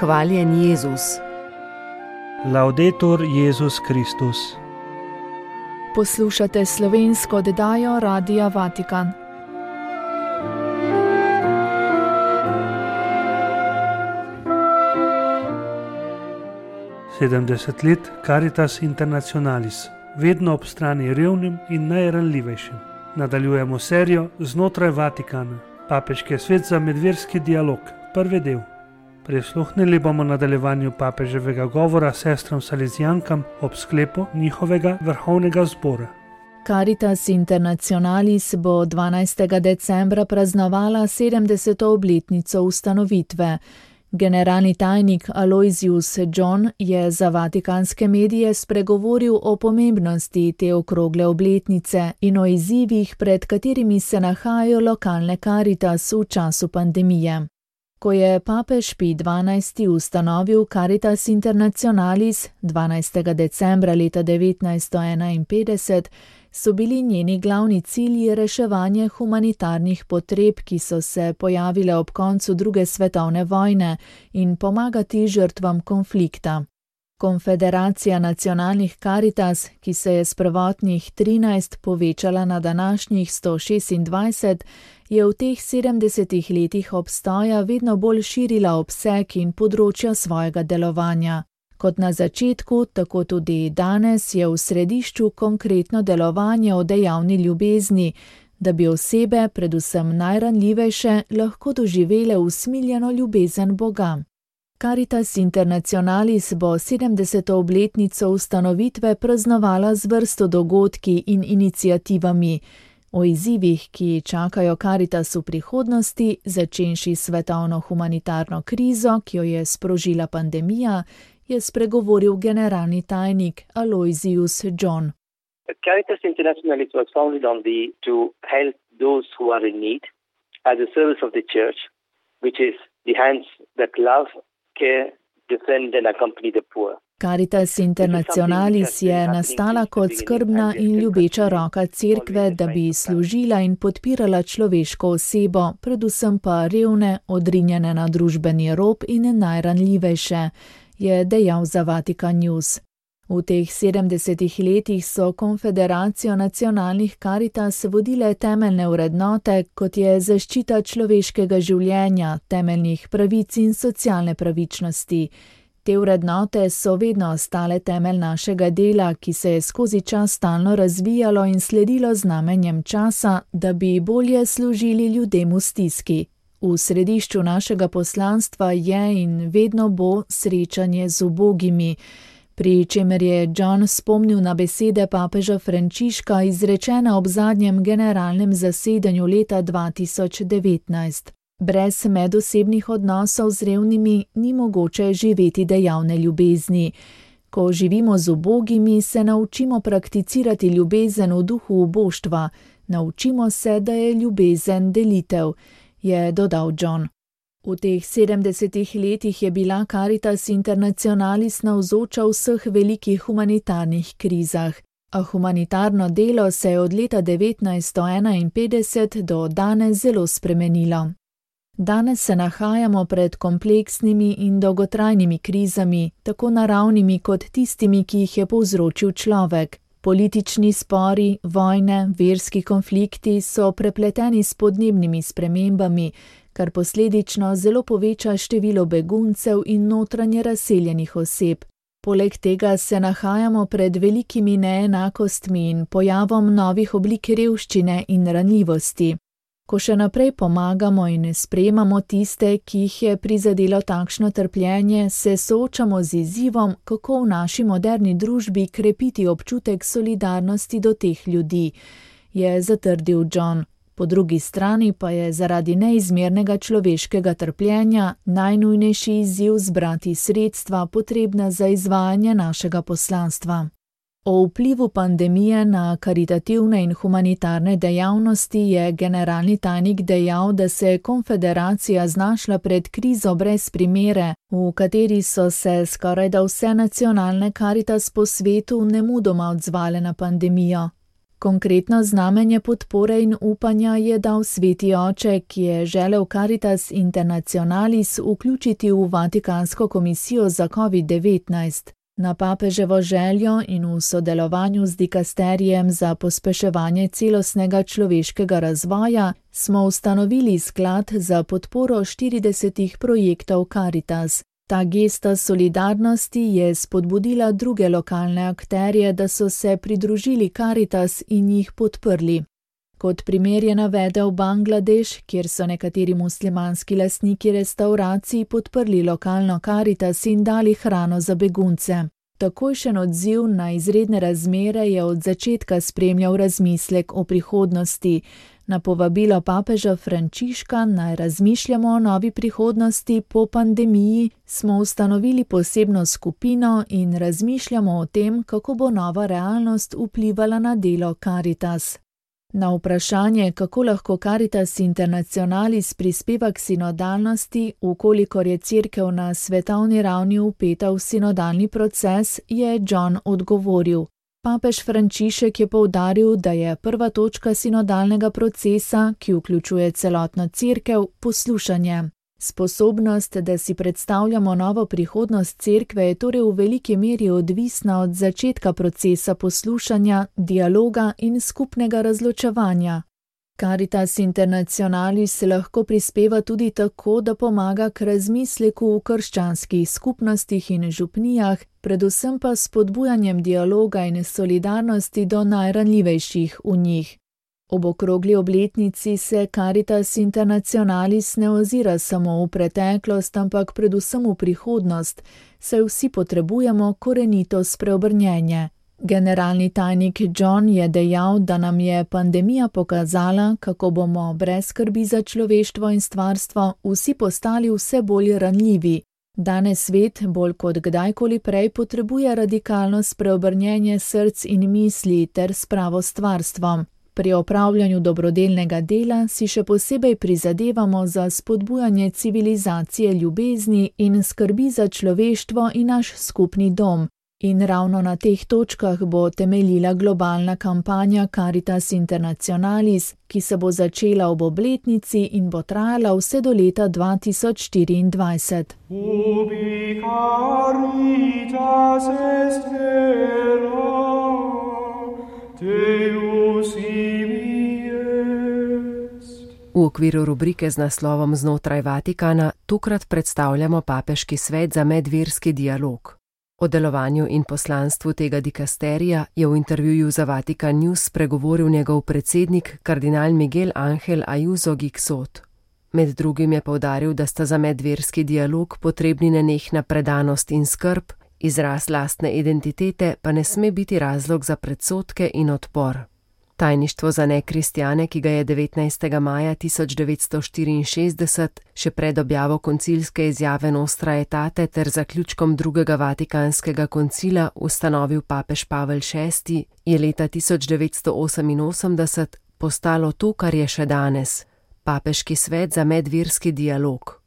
Hvaljen Jezus. Laudetur Jezus Kristus. Poslušate slovensko oddajo Radia Vatikan. Sedemdeset let Caritas Internationalis, vedno ob strani revnim in najranljivejšim. Nadaljujemo serijo Znotraj Vatikana, papeški svet za medverski dialog, prvi del. Prisluhnili bomo nadaljevanju papeževega govora sestram Salezijankam ob sklepu njihovega vrhovnega zbora. Caritas Internationalis bo 12. decembra praznovala 70. obletnico ustanovitve. Generalni tajnik Aloysius John je za vatikanske medije spregovoril o pomembnosti te okrogle obletnice in o izzivih, pred katerimi se nahajajo lokalne Caritas v času pandemije. Ko je papež Pij XII. Ustanovil Caritas Internationalis 12. decembra leta 1951, so bili njeni glavni cilji reševanje humanitarnih potreb, ki so se pojavile ob koncu druge svetovne vojne, in pomagati žrtvam konflikta. Konfederacija nacionalnih Caritas, ki se je s prvotnih 13 povečala na današnjih 126, je v teh 70 letih obstoja vedno bolj širila obseg in področja svojega delovanja. Kot na začetku, tako tudi danes je v središču konkretno delovanje o dejavni ljubezni, da bi osebe, predvsem najranljivejše, lahko doživele usmiljeno ljubezen Boga. Caritas Internationalis bo 70. obletnico ustanovitve praznovala z vrsto dogodki in iniciativami. O izzivih, ki čakajo Caritas v prihodnosti, začenši svetovno humanitarno krizo, ki jo je sprožila pandemija, je spregovoril generalni tajnik Aloysius John. Caritas Internationalis was founded to help those who are in need as a service of the Church, which is the hands that love, care, defend and accompany the poor. Caritas Internationalis je nastala kot skrbna in ljubeča roka cerkve, da bi služila in podpirala človeško osebo, predvsem pa revne, odrinjene na družbeni rob in najranljivejše, je dejal za Vatikan News. V teh 70 letih so Konfederacijo nacionalnih Caritas vodile temeljne vrednote, kot je zaščita človeškega življenja, temeljnih pravic in socialne pravičnosti. Te vrednote so vedno ostale temelj našega dela, ki se je skozi čas stalno razvijalo in sledilo znamenjem časa, da bi bolje služili ljudem v stiski. V središču našega poslanstva je in vedno bo srečanje z ubogimi, pri čemer je John spomnil na besede papeža Frančiška izrečene ob zadnjem generalnem zasedanju leta 2019. Brez medosebnih odnosov z revnimi ni mogoče živeti dejavne ljubezni. Ko živimo z ubogimi, se naučimo prakticirati ljubezen v duhu uboštva, naučimo se, da je ljubezen delitev, je dodal John. V teh 70 letih je bila Caritas Internationalis navzoča v vseh velikih humanitarnih krizah, a humanitarno delo se je od leta 1951 do danes zelo spremenilo. Danes se nahajamo pred kompleksnimi in dolgotrajnimi krizami, tako naravnimi kot tistimi, ki jih je povzročil človek. Politični spori, vojne, verski konflikti so prepleteni s podnebnimi spremembami, kar posledično zelo poveča število beguncev in notranje razseljenih oseb. Poleg tega se nahajamo pred velikimi neenakostmi in pojavom novih oblik revščine in ranljivosti. Ko še naprej pomagamo in sprejemamo tiste, ki jih je prizadelo takšno trpljenje, se soočamo z izzivom, kako v naši moderni družbi krepiti občutek solidarnosti do teh ljudi, je zatrdil John. Po drugi strani pa je zaradi neizmernega človeškega trpljenja najnujnejši izziv zbrati sredstva potrebna za izvajanje našega poslanstva. O vplivu pandemije na karitativne in humanitarne dejavnosti je generalni tajnik dejal, da se je konfederacija znašla pred krizo brez primere, v kateri so se skorajda vse nacionalne Caritas po svetu nemudoma odzvale na pandemijo. Konkretno znamenje podpore in upanja je dal sveti oče, ki je želel Caritas Internationalis vključiti v Vatikansko komisijo za COVID-19. Na papeževo željo in v sodelovanju z dikasterijem za pospeševanje celostnega človeškega razvoja smo ustanovili sklad za podporo 40 projektov Caritas. Ta gesta solidarnosti je spodbudila druge lokalne akterje, da so se pridružili Caritas in jih podprli. Kot primer je navedel Bangladeš, kjer so nekateri muslimanski lastniki restavracij podprli lokalno Caritas in dali hrano za begunce. Takojšen odziv na izredne razmere je od začetka spremljal razmislek o prihodnosti. Na povabilo papeža Frančiška naj razmišljamo o novi prihodnosti po pandemiji, smo ustanovili posebno skupino in razmišljamo o tem, kako bo nova realnost vplivala na delo Caritas. Na vprašanje, kako lahko Caritas Internationalis prispeva k sinodalnosti, ukolikor je cerkev na svetovni ravni vpeta v sinodalni proces, je John odgovoril. Papež Frančišek je poudaril, da je prva točka sinodalnega procesa, ki vključuje celotno cerkev, poslušanje. Sposobnost, da si predstavljamo novo prihodnost cerkve, je torej v veliki meri odvisna od začetka procesa poslušanja, dialoga in skupnega razločevanja. Caritas Internationalis lahko prispeva tudi tako, da pomaga k razmisleku v krščanskih skupnostih in župnijah, predvsem pa s spodbujanjem dialoga in solidarnosti do najranljivejših v njih. Ob okrogli obletnici se Caritas Internationalis ne ozira samo v preteklost, ampak predvsem v prihodnost, saj vsi potrebujemo korenito spreobrnjenje. Generalni tajnik John je dejal, da nam je pandemija pokazala, kako bomo brez skrbi za človeštvo in stvarstvo vsi postali vse bolj ranljivi. Danes svet, bolj kot kdajkoli prej, potrebuje radikalno spreobrnjenje src in misli ter spravo stvarstvom. Pri opravljanju dobrodelnega dela si še posebej prizadevamo za spodbujanje civilizacije ljubezni in skrbi za človeštvo in naš skupni dom. In ravno na teh točkah bo temeljila globalna kampanja Caritas Internationalis, ki se bo začela ob obletnici in bo trajala vse do leta 2024. Ubi caritas est vera, Deus ibi est. V okviru rubrike z naslovom Znotraj Vatikana tokrat predstavljamo papeški svet za medverski dialog. O delovanju in poslanstvu tega dikasterija je v intervjuju za Vatikan News spregovoril njegov predsednik, kardinal Miguel Ángel Ayuso Gixot. Med drugim je poudaril, da sta za medverski dialog potrebni nenehna predanost in skrb, izraz lastne identitete pa ne sme biti razlog za predsodke in odpor. Tajništvo za nekristjane, ki ga je 19. maja 1964, še pred objavo koncilske izjave Nostra Aetate ter zaključkom drugega Vatikanskega koncila ustanovil papež Pavel VI, je leta 1988 postalo to, kar je še danes, papeški svet za medverski dialog.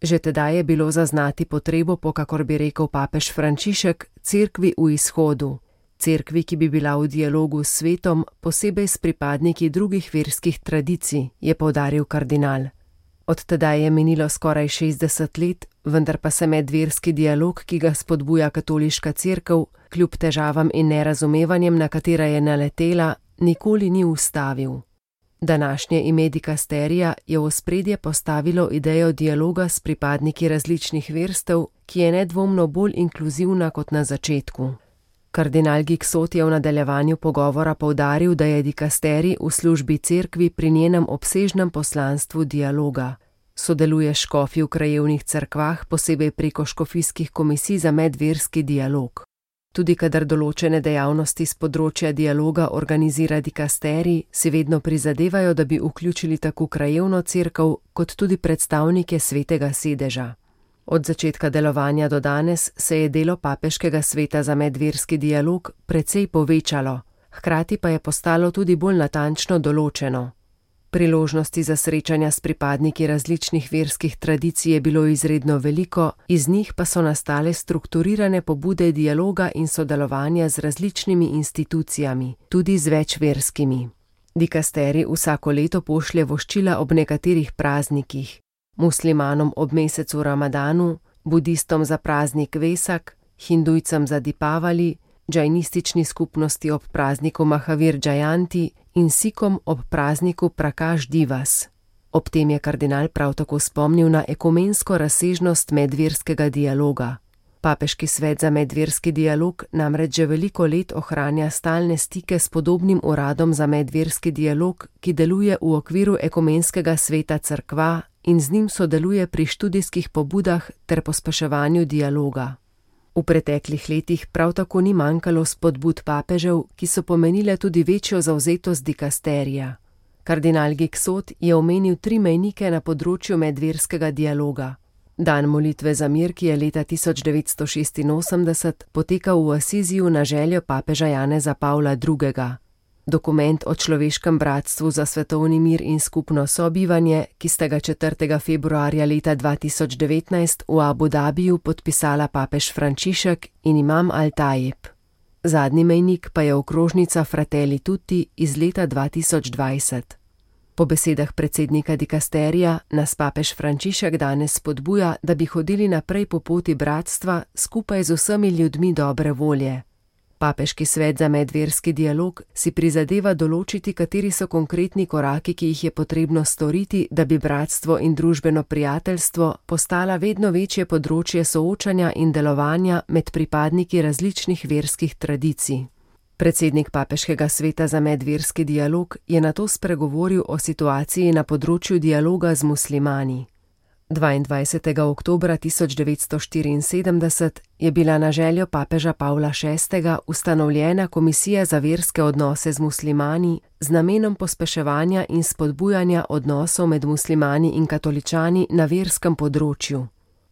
Že tedaj je bilo zaznati potrebo po, kakor bi rekel papež Frančišek, cerkvi v izhodu. Cerkvi, ki bi bila v dialogu s svetom, posebej s pripadniki drugih verskih tradicij, je poudaril kardinal. Od tedaj je minilo skoraj 60 let, vendar pa se medverski dialog, ki ga spodbuja katoliška cerkev, kljub težavam in nerazumevanjem, na katera je naletela, nikoli ni ustavil. Današnje ime dikasterija je v ospredje postavilo idejo dialoga s pripadniki različnih verstev, ki je nedvomno bolj inkluzivna kot na začetku. Kardinal Gixot je v nadaljevanju pogovora poudaril, da je dikasterij v službi cerkvi pri njenem obsežnem poslanstvu dialoga. Sodeluje škofi v krajevnih cerkvah, posebej preko škofijskih komisij za medverski dialog. Tudi kadar določene dejavnosti z področja dialoga organizira dikasterij, si vedno prizadevajo, da bi vključili tako krajevno cerkev, kot tudi predstavnike svetega sedeža. Od začetka delovanja do danes se je delo papeškega sveta za medverski dialog precej povečalo, hkrati pa je postalo tudi bolj natančno določeno. Priložnosti za srečanja s pripadniki različnih verskih tradicij je bilo izredno veliko, iz njih pa so nastale strukturirane pobude dialoga in sodelovanja z različnimi institucijami, tudi z večverskimi. Dikasterij vsako leto pošlje voščila ob nekaterih praznikih, muslimanom ob mesecu Ramadanu, budistom za praznik Vesak, hindujcem za Dipavali, džajnistični skupnosti ob prazniku Mahavir Džajanti in sikom ob prazniku Prakaš Divas. Ob tem je kardinal prav tako spomnil na ekumensko razsežnost medverskega dialoga. Papeški svet za medverski dialog namreč že veliko let ohranja stalne stike s podobnim uradom za medverski dialog, ki deluje v okviru ekumenskega sveta cerkva in z njim sodeluje pri študijskih pobudah ter pospeševanju dialoga. V preteklih letih prav tako ni manjkalo spodbud papežev, ki so pomenile tudi večjo zavzetost dikasterija. Kardinal Giksot je omenil 3 mejnike na področju medverskega dialoga. Dan molitve za mir, ki je leta 1986 potekal v Asiziju na željo papeža Janeza Pavla II. Dokument o človeškem bratstvu za svetovni mir in skupno sobivanje, ki sta ga 4. februarja leta 2019 v Abu Dhabiju podpisala papež Frančišek in imam Al-Tajeb. Zadnji mejnik pa je okrožnica Fratelli Tutti iz leta 2020. Po besedah predsednika dikasterija nas papež Frančišek danes spodbuja, da bi hodili naprej po poti bratstva skupaj z vsemi ljudmi dobre volje. Papeški svet za medverski dialog si prizadeva določiti, kateri so konkretni koraki, ki jih je potrebno storiti, da bi bratstvo in družbeno prijateljstvo postala vedno večje področje soočanja in delovanja med pripadniki različnih verskih tradicij. Predsednik Papeškega sveta za medverski dialog je nato spregovoril o situaciji na področju dialoga z muslimani. 22. oktobra 1974 je bila na željo papeža Pavla VI. Ustanovljena Komisija za verske odnose z muslimani z namenom pospeševanja in spodbujanja odnosov med muslimani in katoličani na verskem področju.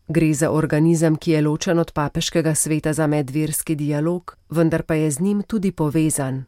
Gre za organizem, ki je ločen od Papeškega sveta za medverski dialog, vendar pa je z njim tudi povezan.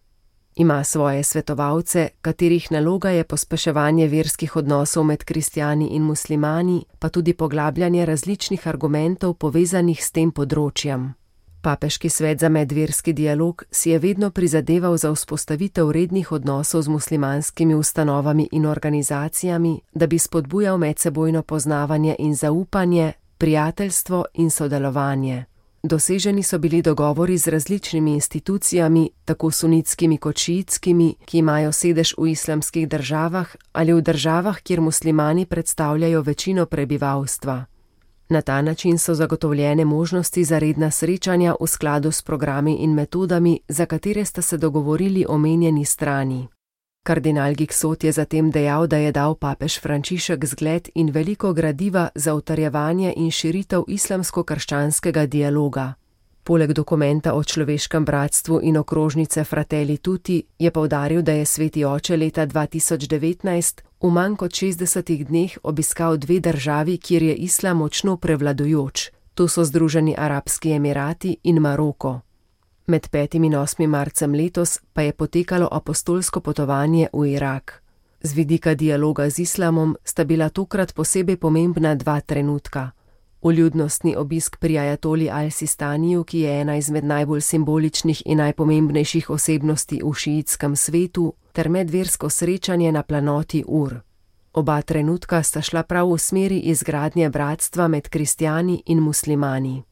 Ima svoje svetovalce, katerih naloga je pospeševanje verskih odnosov med kristjani in muslimani, pa tudi poglabljanje različnih argumentov povezanih s tem področjem. Papeški svet za medverski dialog si je vedno prizadeval za vzpostavitev rednih odnosov z muslimanskimi ustanovami in organizacijami, da bi spodbujal medsebojno poznavanje in zaupanje, prijateljstvo in sodelovanje. Doseženi so bili dogovori z različnimi institucijami, tako sunitskimi kot šiitskimi, ki imajo sedež v islamskih državah ali v državah, kjer muslimani predstavljajo večino prebivalstva. Na ta način so zagotovljene možnosti za redna srečanja v skladu s programi in metodami, za katere sta se dogovorili omenjeni strani. Kardinal Giksot je zatem dejal, da je dal papež Frančišek zgled in veliko gradiva za utrjevanje in širitev islamsko-krščanskega dialoga. Poleg dokumenta o človeškem bratstvu in okrožnice Fratelli Tutti je poudaril, da je sveti oče leta 2019 v manj kot 60 dneh obiskal 2 državi, kjer je islam močno prevladujoč. To so Združeni arabski emirati in Maroko. Med 5. in 8. marcem letos pa je potekalo apostolsko potovanje v Irak. Z vidika dialoga z islamom sta bila tokrat posebej pomembna 2 trenutka. Vljudnostni obisk pri ajatoli Al-Sistaniju, ki je ena izmed najbolj simboličnih in najpomembnejših osebnosti v šiitskem svetu, ter medversko srečanje na planoti Ur. Oba trenutka sta šla prav v smeri izgradnje bratstva med kristjani in muslimani.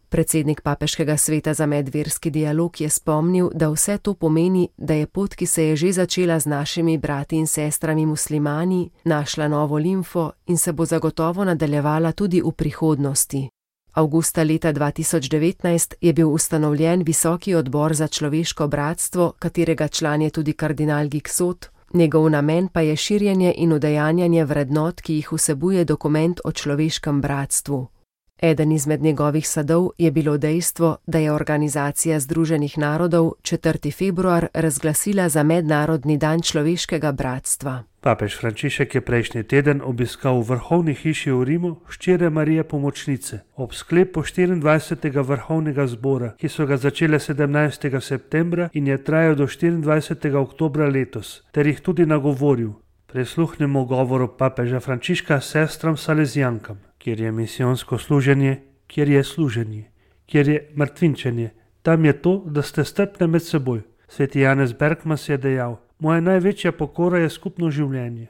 Predsednik Papeškega sveta za medverski dialog je spomnil, da vse to pomeni, da je pot, ki se je že začela z našimi brati in sestrami muslimani, našla novo limfo in se bo zagotovo nadaljevala tudi v prihodnosti. Avgusta leta 2019 je bil ustanovljen Visoki odbor za človeško bratstvo, katerega član je tudi kardinal Giksot, njegov namen pa je širjenje in udejanjanje vrednot, ki jih vsebuje dokument o človeškem bratstvu. Eden izmed njegovih sadov je bilo dejstvo, da je Organizacija Združenih narodov 4. februar razglasila za Mednarodni dan človeškega bratstva. Papež Frančišek je prejšnji teden obiskal v vrhovni hiši v Rimu hčere Marije Pomočnice ob sklepu 24. vrhovnega zbora, ki so ga začele 17. septembra in je trajal do 24. oktobra letos, ter jih tudi nagovoril. Prisluhnimo govoru papeža Frančiška sestram Salezijankam, kjer je misijonsko služenje, kjer je služenje, kjer je mrtvinčenje. Tam je to, da ste strpne med seboj. Sveti Janez Bergmas je dejal: moja največja pokora je skupno življenje.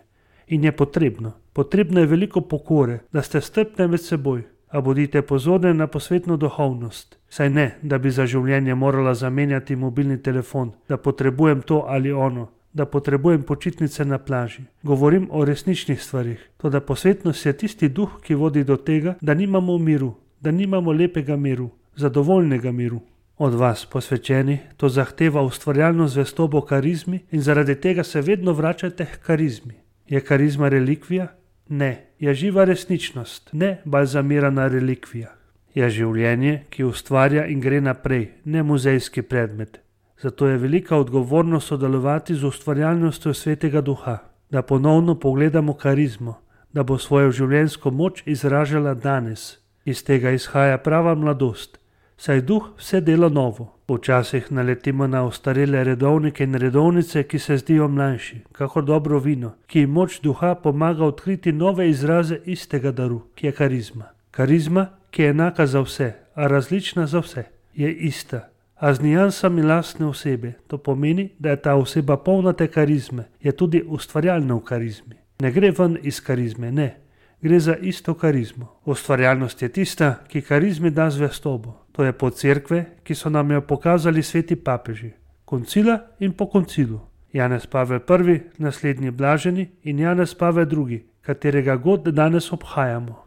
In je potrebno. Potrebno je veliko pokore, da ste strpne med seboj. A bodite pozorni na posvetno duhovnost. Saj ne, da bi za življenje morala zamenjati mobilni telefon, da potrebujem to ali ono, da potrebujem počitnice na plaži. Govorim o resničnih stvarih. Toda posvetnost je tisti duh, ki vodi do tega, da nimamo miru, da nimamo lepega miru, zadovoljnega miru. Od vas, posvečeni, to zahteva ustvarjalno zvestobo karizmi in zaradi tega se vedno vračajte k karizmi. Je karizma relikvija? Ne. Je živa resničnost, ne balzamirana relikvija. Je življenje, ki ustvarja in gre naprej, ne muzejski predmet. Zato je velika odgovornost sodelovati z ustvarjalnostjo Svetega Duha, da ponovno pogledamo karizmo, da bo svojo življenjsko moč izražala danes. Iz tega izhaja prava mladost, saj duh vse dela novo. Včasih naletimo na ostarele redovnike in redovnice, ki se zdijo mlajši, kakor dobro vino, ki jim moč duha pomaga odkriti nove izraze istega daru, ki je karizma. Karizma, ki je enaka za vse, a različna za vse, je ista, a z niansami lastne osebe. To pomeni, da je ta oseba polna te karizme, je tudi ustvarjalna v karizmi. Ne gre ven iz karizme, ne. Gre za isto karizmo. Ustvarjalnost je tista, ki karizmi da zvestobo. To je pot cerkve, ki so nam jo pokazali sveti papeži. Koncila in po koncilu. Janez Pavel I, naslednji blaženi, in Janez Pavel II, katerega god danes obhajamo.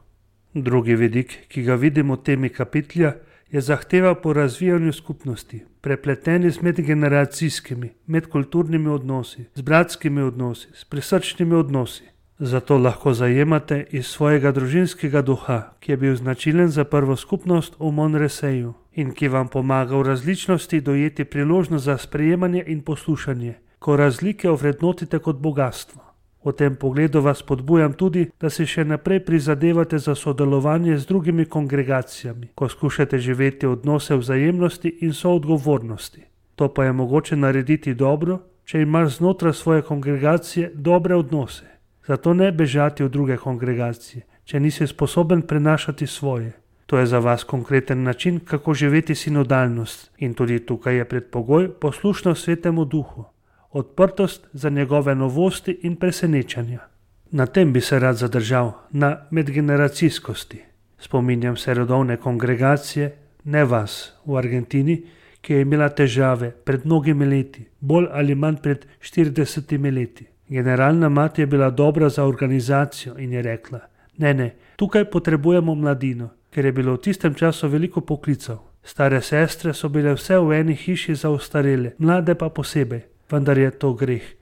Drugi vidik, ki ga vidimo v temi kapitlja, je zahteva po razvijanju skupnosti, prepleteni z medgeneracijskimi, medkulturnimi odnosi, z bratskimi odnosi, s prisrčnimi odnosi. Zato lahko zajemate iz svojega družinskega duha, ki je bil značilen za prvo skupnost v Monreseju in ki vam pomaga v različnosti dojeti priložnost za sprejemanje in poslušanje, ko razlike ovrednotite kot bogastvo. V tem pogledu vas podbujam tudi, da si še naprej prizadevate za sodelovanje z drugimi kongregacijami, ko skušate živeti odnose vzajemnosti in soodgovornosti. To pa je mogoče narediti dobro, če imaš znotraj svoje kongregacije dobre odnose. Zato ne bežati v druge kongregacije, če nisi sposoben prenašati svoje. To je za vas konkreten način, kako živeti sinodalnost in tudi tukaj je predpogoj poslušnost Svetemu Duhu, odprtost za njegove novosti in presenečanja. Na tem bi se rad zadržal, na medgeneracijskosti. Spominjam se redovne kongregacije, ne vas, v Argentini, ki je imela težave pred mnogimi leti, bolj ali manj pred 40 leti. Generalna mati je bila dobra za organizacijo in je rekla: ne, tukaj potrebujemo mladino, ker je bilo v tistem času veliko poklicev. Stare sestre so bile vse v eni hiši za ostarele, mlade pa posebej, vendar je to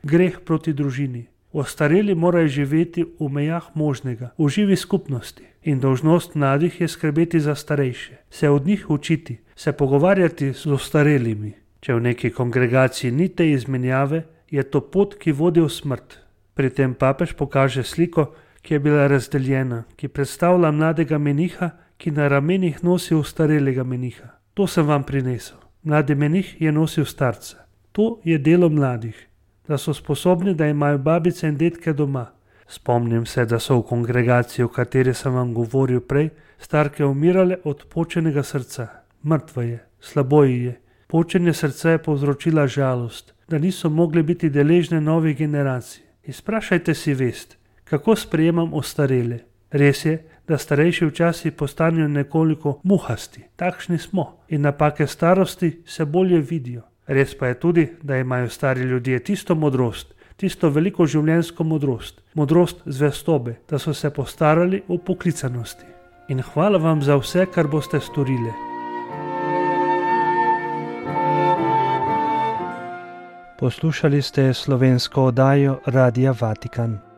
greh proti družini. Ostareli morajo živeti v mejah možnega, v živi skupnosti in dolžnost mladih je skrbeti za starejše, se od njih učiti, se pogovarjati z ostarelimi. Če v neki kongregaciji ni te izmenjave, je to pot, ki vodi v smrt. Pri tem papež pokaže sliko, ki je bila razdeljena, ki predstavlja mladega meniha, ki na ramenih nosi ostarelega meniha. To sem vam prinesel. Mladi menih je nosil starca. To je delo mladih, da so sposobni, da imajo babice in dedke doma. Spomnim se, da so v kongregaciji, o kateri sem vam govoril prej, starke umirale od počenega srca. Mrtva je, slabo ji je. Počenje srca je povzročila žalost, da niso mogli biti deležne novih generacij. Izprašajte si vest, kako sprejemam ostarele. Res je, da starejši včasih postanejo nekoliko muhasti, takšni smo, in napake starosti se bolje vidijo. Res pa je tudi, da imajo stari ljudje tisto modrost, tisto veliko življenjsko modrost, modrost zvestobe, da so se postarali v poklicanosti. In hvala vam za vse, kar boste storili. Poslušali ste slovensko oddajo Radia Vatikan.